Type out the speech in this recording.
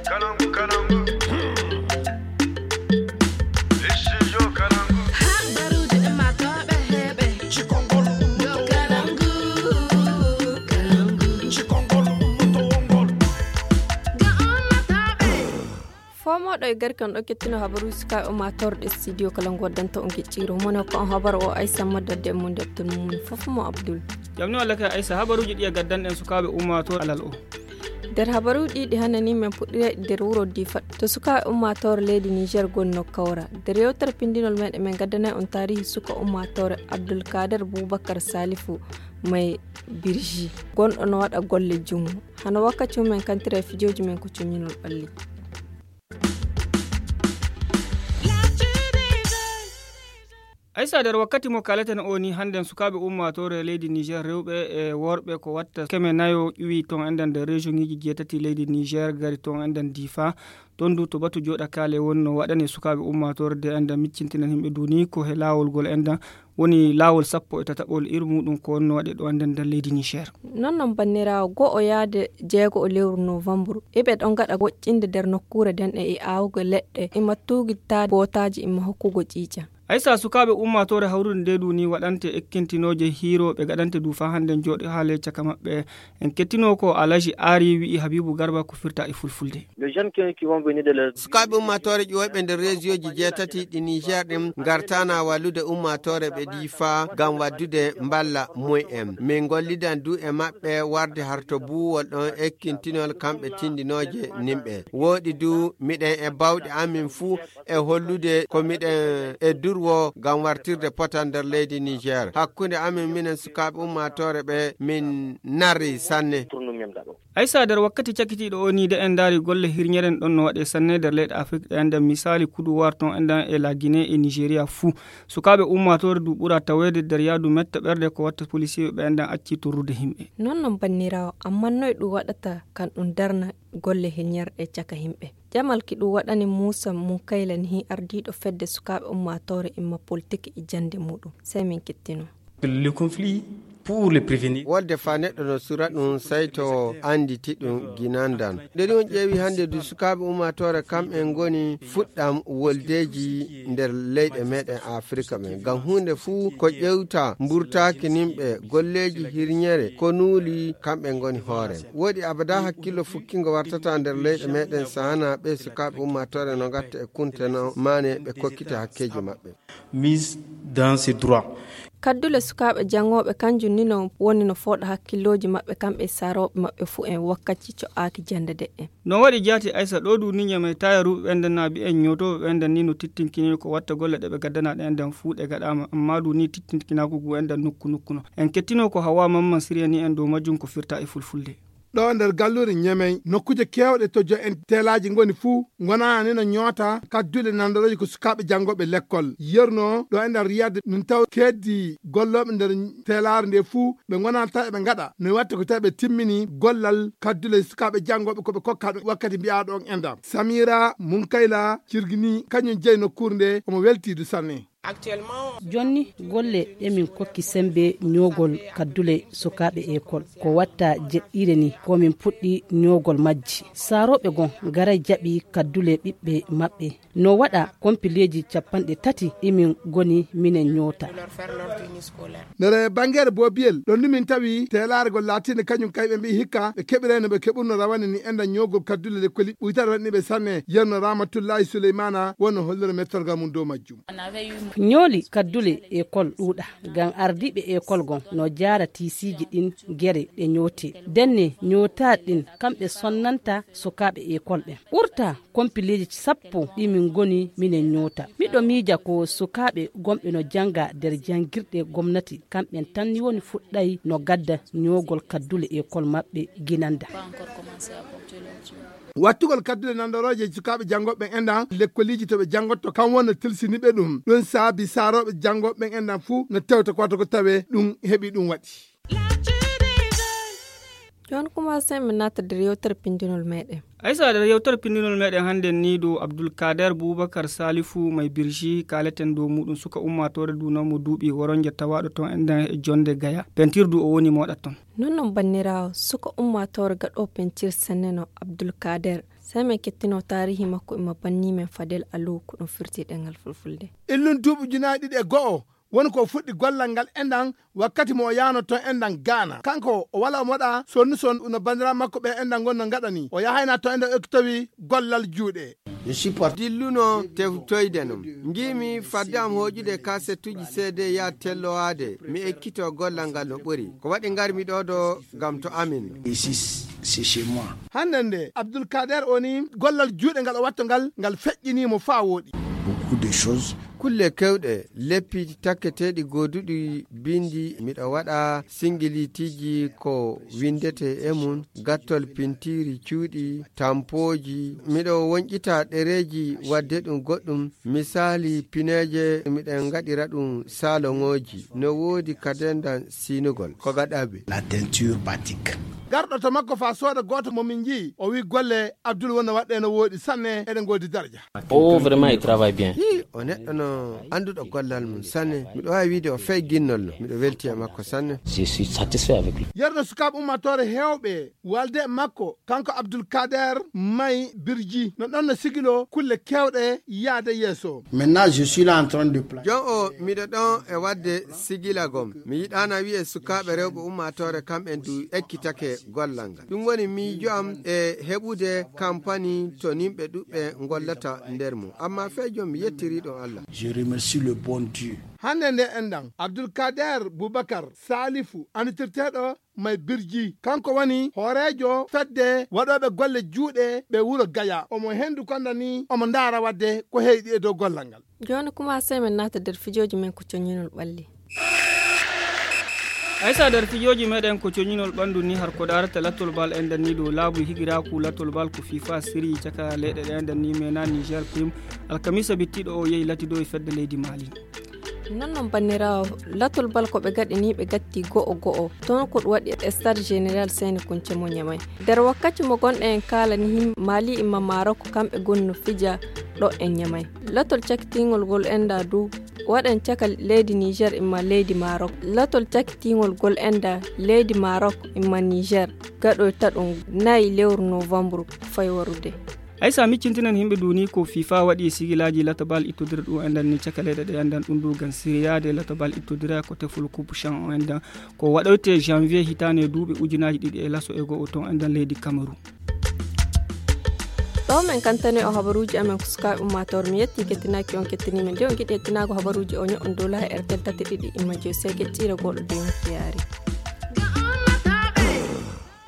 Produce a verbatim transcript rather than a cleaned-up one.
Kalangu, kalangu. Studio Kalangu. Habaruuji ɗi maa tooɓe heɓe. Cikongol. Yo Kalangu, Kalangu. Cikongol, ummotowol ngol. Ga ummatooɓe. Foo mooɗo e garki on ɗo kettino habaruuji sukaaɓe ummaatoore ɗe studio Kalangu waddanta on gicciiro. Mone ko on habaru o Aysa Madda de mun de tun mun fof mo Abdul. Jam ni walla kay Aysa, habaruuji ɗi e gaddanɗen sukaaɓe ummaatoore alal o. Nder habaruuji ɗi ɗi hannde ni men puɗɗirayɗi nder wuro Difa. To sukaaɓe ummaatoore leydi Niger goni no kawra. Nder yewtere pindinol meɗen men gaddanay on taarihi suka ummaatoore Abdul Kader Bubakar Salifu May Birji. Gonɗo no waɗa golle jungo. Hano wakkati mum men kantira e fijooji men ko coñinol ɓalli. Aysa, nder wakkati mo kaleten o ni, hannden sukaaɓe ummaatoore leydi Niger, rewɓe e worɓe ko watta keme nayo ƴuwi toon enɗan nder région ŋiji jeetati leydi Niger, gari toon enɗan Difa. Toon du to batu jooɗa kaale woni no waɗani sukaaɓe ummaatoore de enɗan miccintinan yimɓe du ni ko he laawol ngol enɗan woni laawol sappo e tataɓol ir muɗum ko wonno waɗe ɗo enɗan nder leydi Niger. Non non banniraawo, go'o yaade jeego o lewru novembre, eɓe ɗon ngaɗa woƴƴinde nder nokkuure nden e aawugo leɗɗe, ima tuugitaade bootaaji, ima hokkugo ƴiiƴam. Aysa, sukaaɓe ummaatoore hawrude nde du ni waɗante ekkintinooje hiirooɓe gaɗante du faa hannden jooɗi haale caka maɓɓe. En kettino ko Alaji Aari wi'i Habibu Garba ko firta e fulfulde. Les jeunes qui, qui vont venir de leur Sukaaɓe ummaatoore ƴooyɓe nder reesiyooji jeetati ɗi Niger ɗin ngartana wallude ummaatoore ɓe Difa ngam waddude mballa mum en. Min ngollidan du e maɓɓe warde harto buuwol ɗon ekkintinol kamɓe tindinooje nimɓe. Wooɗi du miɗen e bawɗe amin fuu e hollude ko miɗen e durwo ngam wartirde potal nder leydi Niger. Hakkunde amin minen sukaaɓe ummaatoore ɓe min narri sanne. Pour nous-mêmes d'abord. Aysa, nder wakkati cakitiiɗo o ni de en ndaari golle hirñeren ɗon no waɗe sanne nder leyɗe Afrik ɗe enɗan misaali Kuduwar toon enɗan e La Guinée e Nigeria fuu. Sukaaɓe ummaatoore du ɓura taweede nder yaadu metta ɓerde ko watta polisiiɓe ɓe enɗan acci torrude yimɓe. Non non banniraawo, ammaa noy ɗum waɗata kan ɗum darna golle hirñerɗe caka yimɓe? Jamal ki ɗum waɗani Muusa Munkayla ni ardiiɗo fedde sukaaɓe ummaatoore imma politik e jannde muɗum. Sey min kettino. Le conflit, pour le prévenir. Wolde faa neɗɗo no sura ɗum, sey to annditi ɗum ginandan. Nde ɗum ƴeewi hannde du sukaaɓe ummaatoore kamɓe ngoni fuɗɗam woldeeji nder leyɗe meɗen Afirika men. Ngam huunde fuu ko ƴewta mburtaaki nimɓe, golleeji hirñere, ko nuuli kamɓe ngoni hoore. Woɗi abada hakkillo fukkingo wartata nder leyɗe meɗen sahana ɓe sukaaɓe ummaatoore no ngatta e kunte no maane ɓe kokkita hakkeeji maɓɓe. Mise dans ses droits. Kaddule sukaaɓe janngooɓe kanjum ni no woni no fooɗa hakkillooji maɓɓe kamɓe e saarooɓe maɓɓe fuu en wakkati co'aaki jannde de'en. No waɗi jaati Aysa ɗo du ni ñamay taya ruuɓe ɓen nden naa bi en ñootooɓe ɓen nden ni no tittinkini ko watta golle ɗe ɓe gaddana ɗe enden fuu ɗe gaɗaama, amma du ni tittinkinaaku gu enden nokku nokku no. En kettino ko Hawa Mamman siriyani en dow majjum ko firta e fulfulde. Ɗo nder galluure Ñemey, nokkuuje keewɗe to jo'en teelaaji ngoni fuu, ngonaa ni no ñoota kaddule nanndorooje ko sukaaɓe janngooɓe lekkol. Yerno ɗo e nder Riyad, min taw keeddi gollooɓe nder teelaare nde fuu, ɓe ngonaa tawi ɓe ngaɗa. No watta ko tawi ɓe timmini gollal kaddule sukaaɓe janngooɓe ko ɓe kokkaa ɗum wakkati mbiyaaɗo on enɗam. Samira Munkayla Cirgini, kañum jeyi nokkuure nde, omo weltii du sanne. Jonni golle ɗe min kokki semmbe ñoogol kaddule sukaaɓe ekol. Ko watta jeɗɗiire ni ko min puɗɗi ñoogol majji. Saarooɓe gon garay jaɓi kaddule ɓiɓɓe maɓɓe. No waɗa kompileeji cappanɗe tati ɗi min ngoni minen ñoota. Nder banngeere Boobiyel, ɗon ni min tawi teelaare gol laatiinde kañum kay ɓe mbi'i hikka ɓe keɓiray no ɓe keɓurno rawane ni enɗam ñoogol kaddule lekkoli ɓuytaare waɗni ɓe sanne. Yerno Ramatullahi Suleymaana wonno hollira mettorgal mum dow majjum. Ñooli kaddule ekol ɗuuɗa, ngam ardiiɓe ekol gon no jaara tiisiiji ɗin gere ɗe ñootee. Denne ñootaaɗi ɗin kamɓe sonnanta sukaaɓe ekol ɓen. Ɓurta kompileeji sappo ɗi min ngoni minen ñoota. Miɗo miija ko sukaaɓe gonɓe no jannga nder janngirɗe gomnati, kamɓen tan ni woni fuɗɗay no gadda ñoogol kaddule ekol maɓɓe ginanda. Wattugol kaddule nanndorooje sukaaɓe janngooɓe ɓen enɗam lekkoliiji to ɓe janngotto, kam wonno tilsini ɓe ɗum. Ɗum saabi saarooɓe janngooɓe ɓen enɗam fuu no tewta ko watta ko tawee ɗum heɓi ɗum waɗi. Jooni kuma sey min naata nder yewtere pinndinol meɗen. Aysa, nder yewtere pinndinol meɗen hannden ni dow Abdul Kader Bubakar Salifu May Birji kaaleten dow muɗum, suka ummaatoore du non mo duuɓi woronje tawaaɗo toon enɗam e jonnde Gaya. Pentir du o woni moɗa toon. Non non banniraawo, suka ummaatoore gaɗo pentir sanne no Abdul Kader Sey men kettino taarihi makko imma banni men Fadel Alou ko ɗum firti ɗengal fulfulde. Illun duuɓi ujunaaji ɗiɗi e go'o woni ko fuɗɗi gollal ngal enɗan wakkati mo o yaano ton enɗan Gaana. Kanko o wala o moɗa sonnu son no banndiraaɓe makko ɓe enɗan ngon no ngaɗani. O yahayna ton enɗan oktowi gollal juuɗe. Dilluno teftoyde non. Ngiimi fadde am hooƴude kasetuji C D ya tellowaade. Mi ekkito gollal ngal no ɓuri. Ko waɗi ngarmi ɗo ɗo ngam to amin. Hannde nde Abdoulkader o ni gollal juuɗe ngal o watto ngal, ngal feƴƴini mo faa wooɗi. Beaucoup de choses. Kulle kewɗe, leppi takketeeɗi gooduɗi bindi, miɗo waɗa singilitiji ko windete e mum, gattol pintiri cuuɗi, tampooji. Miɗo wonƴita ɗereeji wadde ɗum goɗɗum, misaali pineeje, miɗen ngaɗira ɗum saloŋooji. No woodi kadendan sinugol. Ko gaɗaɓe. La teinture batik. Garɗo to makko faa sooda gooto mo min nji'i, o wi'i golle Abdul wonno waɗɗe no wooɗi sanne, eɗen ngoodi darja. Oh, vraiment, il travaille bien. Hi, o neɗɗo no annduɗo gollal mum sanne. Miɗo waawi wiide o fey ginnollo. Miɗo welti e makko sanne. Je suis satisfait avec lui. Yerno sukaaɓe ummaatoore heewɓe walde e makko, kanko Abdul Kader May Birji, no ɗon no sigilo kulle keewɗe yaade yeeso. Maintenant, je suis là en train de placer. Jon o miɗo ɗon e waɗde sigilagol. Mi yiɗaana wi'e sukaaɓe rewɓe ummaatoore kamɓen du ekkitake gollal ngal. Ɗum woni miijo am e heɓude kampani to nimɓe ɗuɓɓe ngollata nder mum. Amma fey jon mi yettiri ɗon Allah. Je remercie le bon Dieu. Hannde nde enɗan, Abdul Kader Boubacar Salifu, annitirteeɗo May Birji, kanko woni hooreejo fedde waɗooɓe golle juuɗe ɓe wuro Gaya. Omo henndu konda ni, omo ndaara waɗde ko heyɗi e dow gollal ngal. Jooni kuma sey men naata nder fijooji men ko coñinol ɓalli. Aysa nder fijooji meɗen ko coñinol ɓanndu ni har ko daarata latol bal en danni dow laabu higiraaku latol bal ko FIFA siri caka leyɗe ɗe en danni mena Niger Prime. Alkamisa bittiɗo o yehi latido e fedde leydi Mali. Non non banniraawo, latol bal ko ɓe gaɗi ni ɓe gatti go'o go'o. Toon ko ɗum waɗi e Stade Général Seyni Kunce mo Ñamay. Nder wakkati mo gonɗen en kaalani him Mali imma Marok kamɓe goni no fija ɗo e Ñamay. Latol cakitiingol ngol enda du waɗen caka leydi Niger imma leydi Marok. Latol cakitiingol ngol enda leydi Marok imma Niger gaɗoyta ɗum nayi lewru novembre fay warude. Aysa miccintinen himɓe duni ko FIFA waɗi sigilaaji latobal ittodira ɗum endan ni caka leyɗe ɗe endan ɗum du gan siriyaade latobal ittodira ko tefol coupe chan o endan ko waɗoyte janvier hitaande duuɓi ujunaaji ɗiɗi e laso e go'o ton endan leydi Cameroun. Ɗo men kantane o habaruuji amen ko sukaaɓe ummaatoore mi yetti kettinaaki on kettini men de on giɗi ettinaago habaruuji o ño'on dow laha R T L tati ɗiɗi imma joy seegeƴ ƴiira gooɗo de on fiyaari.